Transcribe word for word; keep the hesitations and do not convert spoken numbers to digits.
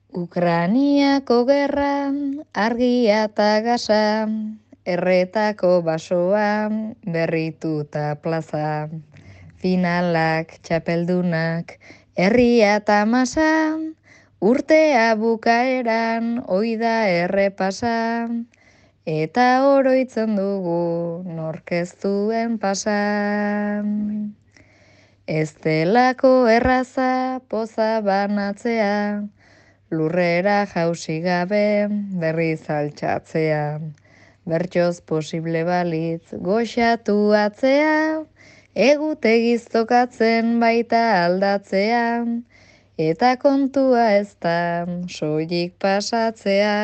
Ukraniako gerra, argia eta gasa, erretako basoa, berrituta plaza, finalak, txapeldunak, herria eta masa, urtea bukaeran, oida errepasa, eta oroitzen dugu norkeztuen pasa. Ez delako erraza poza banatzea, lurrera jausi gabe berriz altxatzea. Bertsoz posible balitz goxatu atzea, egutegiz tokatzen baita aldatzea, eta kontua ez da soilik pasatzea.